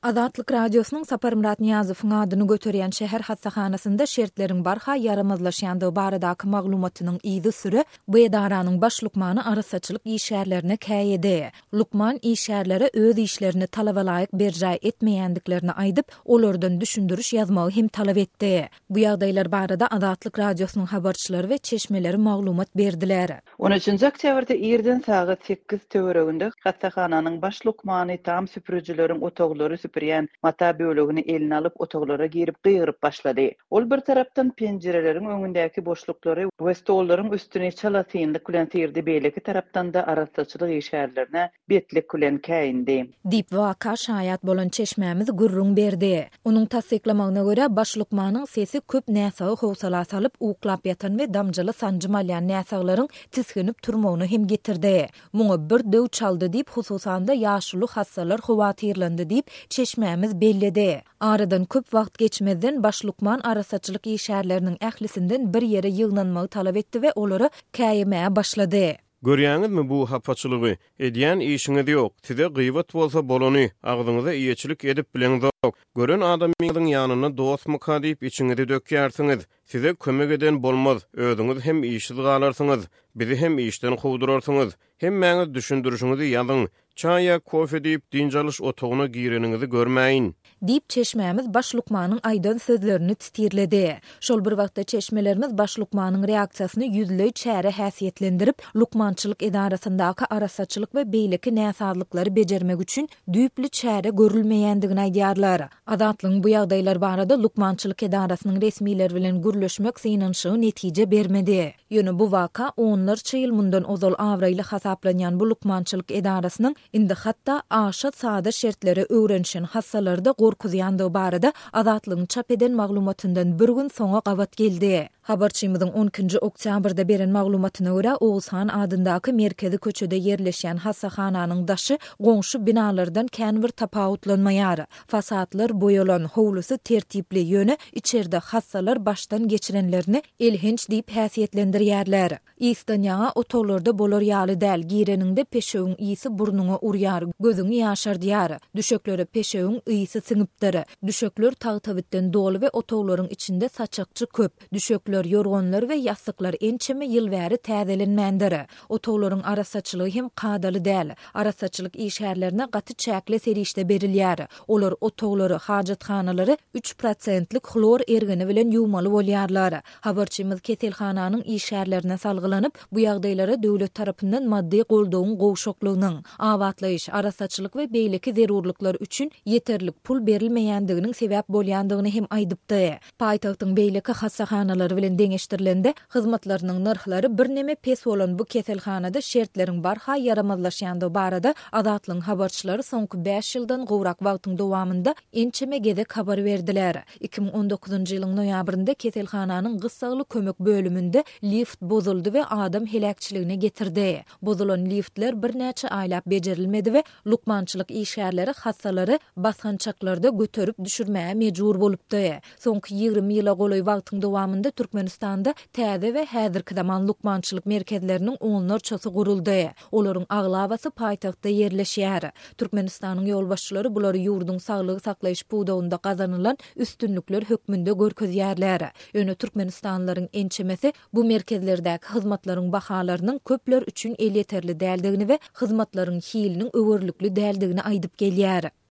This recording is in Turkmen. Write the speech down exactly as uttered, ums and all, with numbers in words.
Azatlyk Radiosynyň Saparmyrat Nyýazowyň adyny göterýän şäher hassahanasynda şertleriň barha ýaramazlaşýandygy baradaky maglumatynyň yzysüre bu edaranyň baş lukmany arassaçylyk işgärlerine käýedi. Lukman işgärlere öz işlerini talabalaýyk berjaý etmeýändiklerini aýdyp, olardan düşündiriş ýazmagy hem talap etdi. Bu ýagdaýlar barada Azatlyk Radiosynyň habarçylary we çeşmeleri maglumat berdiler. On üçünji oktýabrda irden sagat sekiz töwereginde hassahananyň baş lukmany tam süpürijileriň otaglary süpürýän mata bölegini eline alyp otaglara girip gygyryp başlady. Ol bir tarapdan penjireleriň öňündäki boşluklary we stollaryň üstüni çalasynlyk bilen syrdy, beýleki tarapdan da arassaçylyk işgärlerine betlik bilen käýindi. Diýip waka şaýat bolan çeşmämiz gürrüň berdi. Onuň tassyklamagyna görä baş lukmanyň sesi köp näsagy howsala salyp uklap ýatan we damjaly sanjym alýan näsaglaryň tisginip turmagyny hem getirdi. Muňa bir döw çaldy diýip hususan-da ýaşuly hassalar howatyrlandy diýip çeşmämiz belledi. Aradan köp wagt geçmezden baş lukman arassaçylyk işgärleriniň ählisinden bir ýere ýygnanmagy talap etdi we olara käýemäge başlady. Görýäňizmi bu hapaçylygy? Edýän işiňiz ýok. Size gyýbat bolsa bolany, agzyňyza eýeçilik edip bileňzok. Gören adamyňyzyň ýanynda dostmyka diýip içiňizi dökýärsiňiz. Size kömek eden bolmaz, özüňiz hem işsiz galarsyňyz, bizi hem işden kowdurarsyňyz. Hemmäňiz düşündirişiňizi ýazyň. Çaý ýa kofe diýip dynç alyş otagyna gireniňizi görmäýin. Diýip çeşmämiz baş lukmanyň aýdan sözlerini titirledi. Şol bir wagtda çeşmelerimiz baş lukmanyň reaksiýasyny ýüzleý çäre häsiýetlendirip, lukmançylyk edarasyndaky arassaçylyk we beýleki näsazlyklary bejermek üçin düýpli çäre görülmeýändigini aýdýarlar. Azatlygyň bu ýagdaýlar barada lukmançylyk edarasynyň resmileri bilen gürleşmek synanyşygy netije bermedi. Ýöne bu waka onlarça ýyl mundan ozal abraýly hasaplanýan bu lukmançylyk edarasynyň indi hatda aşa sada şertlere öwrenişen hassalarda gorkuzýandygy barada Azatlygyň çap eden maglumatyndan bir gün soňa gabat geldi. Habarçymyzyň on ikinji oktýabrda beren maglumatyna görä Oguzhan adyndaky merkezi köçede ýerleşýän hassahananyň daşy goňşy binalardan kän bir tapawutlanmaýar. Fasadlar boýalan, howlusy tertipli, ýöne içerde hassalar başdan geçirenlerini elhenç diýip häsiýetlendirýärler. Ysdan ýaňa otaglarda bolar ýaly däl, gireniňde peşewiň ysy burnuňa urýar, gözüňi ýaşardýar. Düşeklere peşewiň ysy siňipdir. Düşekler tagtabitden doly we otaglaryň içinde saçakçy köp. Düşekler, ýorganlar we ýassyklar ençeme ýyl bäri täzelenmändir. Otaglaryň arassaçylygy hem kadaly däl. Arassaçylyk işgärlerine gaty çäkli serişde berilýär. Olar otaglary, hajathanalary üç prosentlik hlor ergini bilen ýuwmaly bolýarlar. Habarçymyz keselhananyň işgärlerine salgylanyp, bu ýagdaýlara döwlet tarapyndan maddy goldawyň gowşaklygynyň, abatlaýyş, arassaçylyk we beýleki zerurlyklar üçin ýeterlik pul berilmeýändiginiň sebäp bolýandygyny hem aýdypdy. Paýtagtyň beýleki hassahanalary bilen deňeşdirilende hyzmatlarynyň nyrhlary birneme pes bolan bu keselhanada şertleriň barha ýaramazlaşýandygy barada Azatlygyň habarçylary soňky bäş ýyldan gowrak wagtyň dowamynda ençeme gezek habar berdiler. iki müň on dokuzynjy ýylyň noýabrynda keselhananyň gyssagly kömek bölüminde lift bozuldy we adam heläkçiligine getirdi. Bozulan liftler birnäçe aýlap bejerilmedi we lukmançylyk işgärleri hassalary basgançaklarda göterip düşürmäge mejbur bolupdy. Soňky ýigrimi ýyla golaý wagtyň dowamynda Türkmenistanda täze we häzirki zaman lukmançylyk merkezleriniň onlarçasy guruldy. Olaryň aglabasy paýtagtda ýerleşýär. Türkmenistanyň ýolbaşçylary bulary ýurduň saglygy saklaýyş pudagynda gazanylan üstünlikler hökmünde görkezýärler. Ýöne Türkmenistanlylaryň ençemesi bu merkezlerdäki hyzmatlaryň bahalarynyň köpler üçin elýeterli däldigini we hyzmatlaryň hiliniň öwürlikli däldigini aýdyp gelýär.